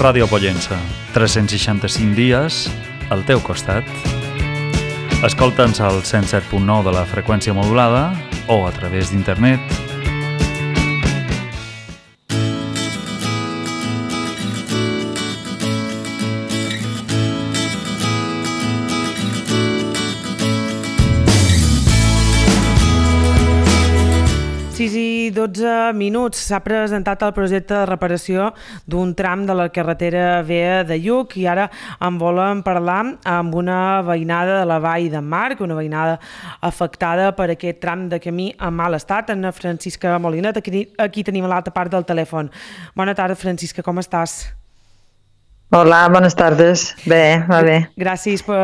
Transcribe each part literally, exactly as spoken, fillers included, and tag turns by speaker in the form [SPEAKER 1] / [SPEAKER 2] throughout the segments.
[SPEAKER 1] Ràdio Pollença, tres-cents seixanta-cinc dies al teu costat. Escolta'ns al cent set punt nou de la freqüència modulada o a través d'internet.
[SPEAKER 2] sis i dotze minuts s'ha presentat el projecte de reparació d'un tram de la carretera vea de Lluc i ara en volem parlar amb una veïnada de la Vall d'en Marc, una veïnada afectada per aquest tram de camí en mal estat, en Francisca Molinet. Aquí, aquí tenim a l'altra part del telèfon. Bona tarda, Francisca, com estàs?
[SPEAKER 3] Hola, bones tardes. Bé, va bé.
[SPEAKER 2] Gràcies per,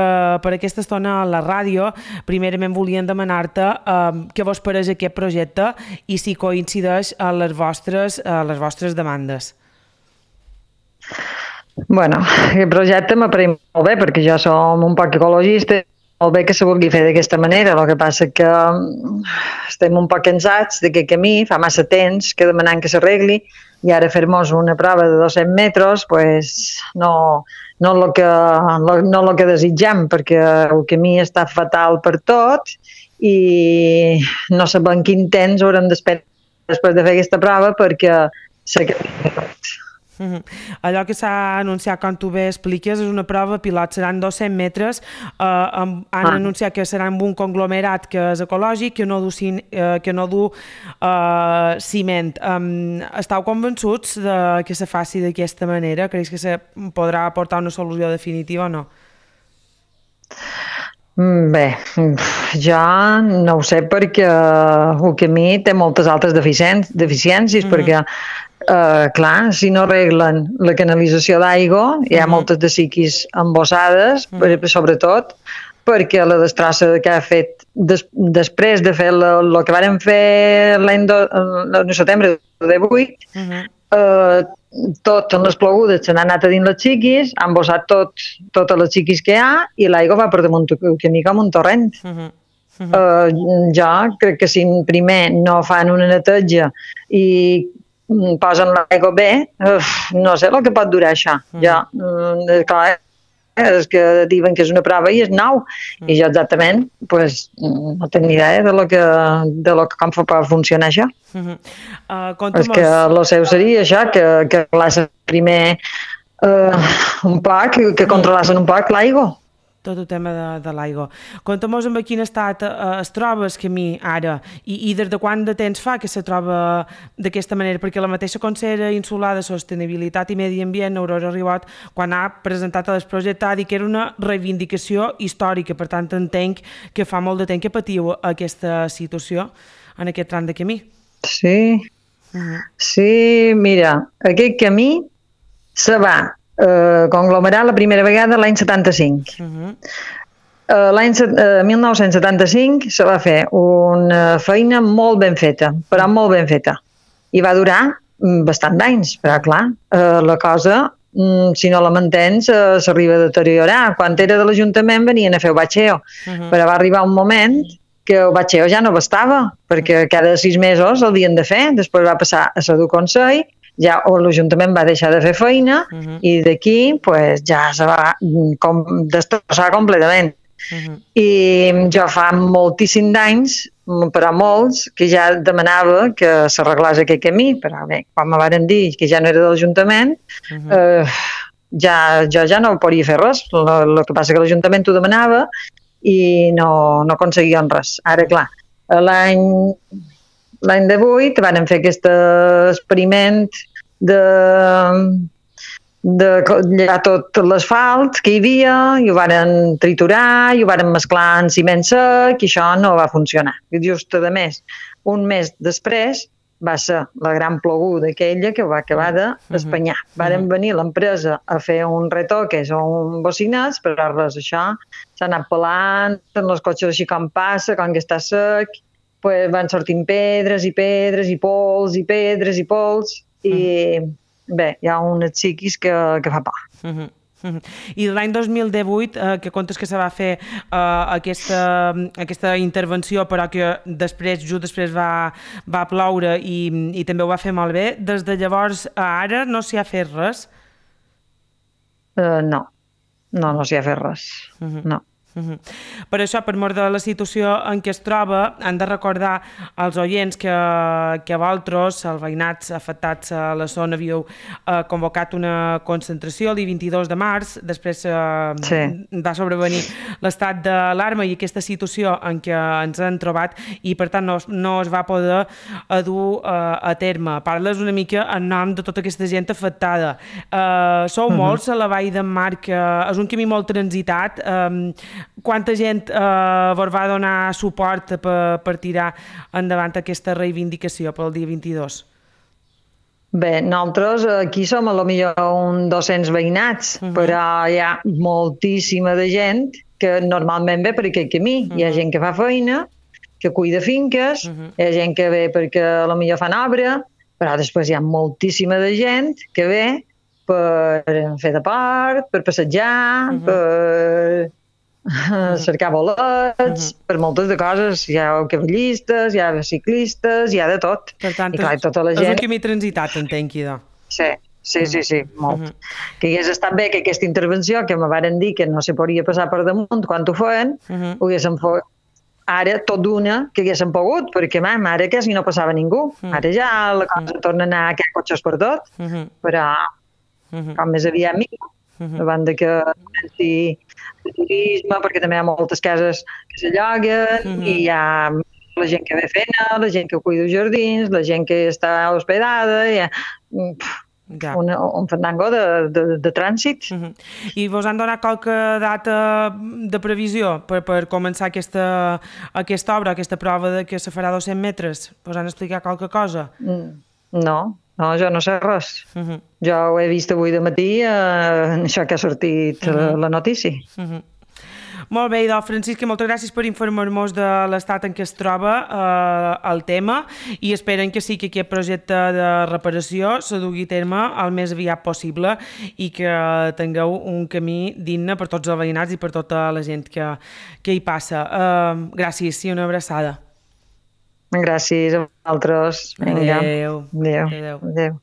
[SPEAKER 2] per aquesta estona a la ràdio. Primerament volíem demanar-te eh, què vos pareix aquest projecte i si coincideix a les vostres, a les vostres demandes.
[SPEAKER 3] Bueno, el projecte m'apareix molt bé perquè jo som un poc ecologista. Molt bé que se vulgui fer d'aquesta manera, el que passa que estem un poc cansats d'aquest camí, fa massa temps que demanant que s'arregli i ara fer-nos una prova de dos-cents metres pues, no, no el que, no el que desitjam, perquè el camí està fatal per tot i no sabem quin temps haurem d'esperar després de fer aquesta prova perquè s'acabi tot.
[SPEAKER 2] Uh-huh. Allò que s'ha anunciat, com tu bé expliques, és una prova pilot, seran dos-cents metres, eh, amb, han ah. anunciat que serà amb un conglomerat que és ecològic, que no du, eh, que no du eh, ciment. Um, estàu convençuts de que se faci d'aquesta manera? Creus que se podrà aportar una solució definitiva o no?
[SPEAKER 3] Bé, jo no ho sé perquè el camí té moltes altres deficiències, deficiències mm-hmm. perquè Uh, clar, si no arreglen la canalització d'aigua, hi ha uh-huh. moltes de siquis embossades, uh-huh. sobretot perquè la destrossa que ha fet des, després de fer el que vàrem fer l'any de setembre de vuit, uh-huh. uh, tot en les plogudes se n'ha anat a dins les xiquis, han embossat tot, totes les xiquis que hi ha i l'aigua va per damunt el camí com un torrent. Uh-huh. Uh-huh. Uh, jo crec que si primer no fan una neteja i posen l'aigua bé, uf, no sé el que pot durar això. Mm. Ja, mm, clar, és que diuen que és una prova i és nou, mm. i jo exactament pues, no tinc ni idea de lo que, de lo que com pot funcionar això. Mm-hmm. uh, és que el seu seria això, que, que controlassen primer uh, un poc, que controlassin un poc l'aigua.
[SPEAKER 2] Tot el tema de, de l'aigua. Conta'm-nos en quin estat eh, es troba el camí ara i, i des de quant de temps fa que se troba d'aquesta manera, perquè la mateixa consellera insular de Sostenibilitat i Medi Ambient, Aurora Ribot, quan ha presentat el projecte ha dit que era una reivindicació històrica, per tant entenc que fa molt de temps que patiu aquesta situació en aquest tram de camí.
[SPEAKER 3] Sí, uh-huh. sí, mira, aquest camí se va Uh, conglomerar la primera vegada l'any setanta-cinc. Uh-huh. Uh, l'any uh, mil nou-cents setanta-cinc se va fer una feina molt ben feta, però molt ben feta. I va durar bastant d'anys, però clar, uh, la cosa, um, si no la mantens, uh, s'arriba a deteriorar. Quan era de l'Ajuntament venien a fer el batxeo, uh-huh. però va arribar un moment que el batxeo ja no bastava, perquè cada sis mesos el havien de fer, després va passar a ser du Consell, ja l'Ajuntament va deixar de fer feina uh-huh. i d'aquí pues, ja se va com, destrossar completament. Uh-huh. I jo fa moltíssims d'anys, però molts, que ja demanava que s'arreglés aquest camí, però bé, quan me varen dir que ja no era de l'Ajuntament, uh-huh. eh, ja, jo ja no podia fer res. El que passa que l'Ajuntament ho demanava i no, no aconseguien res. Ara, clar, l'any... L'any de vuit van fer aquest experiment de, de llevar tot l'asfalt que hi havia i ho van triturar i ho van mesclar en ciment sec i això no va funcionar. I just a més, un mes després va ser la gran ploguda aquella que ho va acabar d'espanyar. Varen venir l'empresa a fer un retoques o un bocinats, però res, això s'ha anat pelant, els cotxes així com passa, com que està sec, pues van sortint pedres i pedres i pols i pedres i pols i uh-huh. bé, hi ha unes xiquis que, que fa por.
[SPEAKER 2] Uh-huh. Uh-huh. I l'any dos mil divuit, eh, que comptes que se va fer eh, aquesta, aquesta intervenció, però que després, just després va, va ploure i, i també ho va fer molt bé, des de llavors a ara no s'hi ha fet res?
[SPEAKER 3] Uh, no, no, no s'hi ha fet res, uh-huh. no.
[SPEAKER 2] Uh-huh. Per això, per mort de la situació en què es troba, han de recordar als oients que, que vosaltres, els veïnats afectats a la zona, havíeu eh, convocat una concentració el dia vint-i-dos de març, després eh, sí. va sobrevenir l'estat d'alarma i aquesta situació en què ens hem trobat i per tant no, no es va poder dur eh, a terme. Parles una mica en nom de tota aquesta gent afectada. Eh, sou uh-huh. molts a la Vall d'en Marc, que és un camí molt transitat. Eh, Quanta gent eh, vos va donar suport per, per tirar endavant aquesta reivindicació pel dia vint-i-dos?
[SPEAKER 3] Bé, nosaltres aquí som a lo millor un dos-cents veïnats, uh-huh. però hi ha moltíssima de gent que normalment ve per aquest camí. Uh-huh. Hi ha gent que fa feina, que cuida finques, uh-huh. hi ha gent que ve perquè a lo millor fan obra, però després hi ha moltíssima de gent que ve per fer de part, per passejar, uh-huh. per... Uh-huh. cercar bolets, uh-huh. per moltes de coses. Hi ha cavallistes, hi ha ciclistes, hi ha de tot.
[SPEAKER 2] Per tant, I, clar,
[SPEAKER 3] és, tota la gent...
[SPEAKER 2] és un camí transitat, entenc, idò.
[SPEAKER 3] Sí, sí, uh-huh. sí, sí, molt. Uh-huh. Que hagués estat bé que aquesta intervenció, que me varen dir que no se podia passar per damunt quan ho feien, uh-huh. ho haguéssim fet ara tot d'una que haguéssim pogut, perquè mam, ara quasi no passava ningú. Uh-huh. Ara ja la cosa uh-huh. torna a anar que hi ha cotxes per tot, uh-huh. però uh-huh. com més aviat millor. Uh-huh. Davant de que comenci el turisme, perquè també hi ha moltes cases que s'alloguen, uh-huh. i hi ha la gent que ve fent, la gent que cuida els jardins, la gent que està hospedada, hi ha ja. un, un fandango de, de, de trànsit.
[SPEAKER 2] Uh-huh. I vos han donat qualque data de previsió per, per començar aquesta, aquesta obra, aquesta prova de que se farà dos-cents metres? Vos han explicat qualque cosa?
[SPEAKER 3] Mm, no. No, jo no sé res. Uh-huh. Jo ho he vist avui de matí, eh, això que ha sortit uh-huh. la notícia.
[SPEAKER 2] Uh-huh. Molt bé, idò, Francisca, moltes gràcies per informar-nos de l'estat en què es troba eh, el tema i esperen que sí que aquest projecte de reparació se dugui a terme el més aviat possible i que tingueu un camí digne per tots els veïnats i per tota la gent que, que hi passa. Eh, gràcies i una abraçada.
[SPEAKER 3] Gràcies a vosaltres. Vinga.
[SPEAKER 2] Adéu.
[SPEAKER 3] Adéu.
[SPEAKER 2] Adéu.
[SPEAKER 3] Adéu.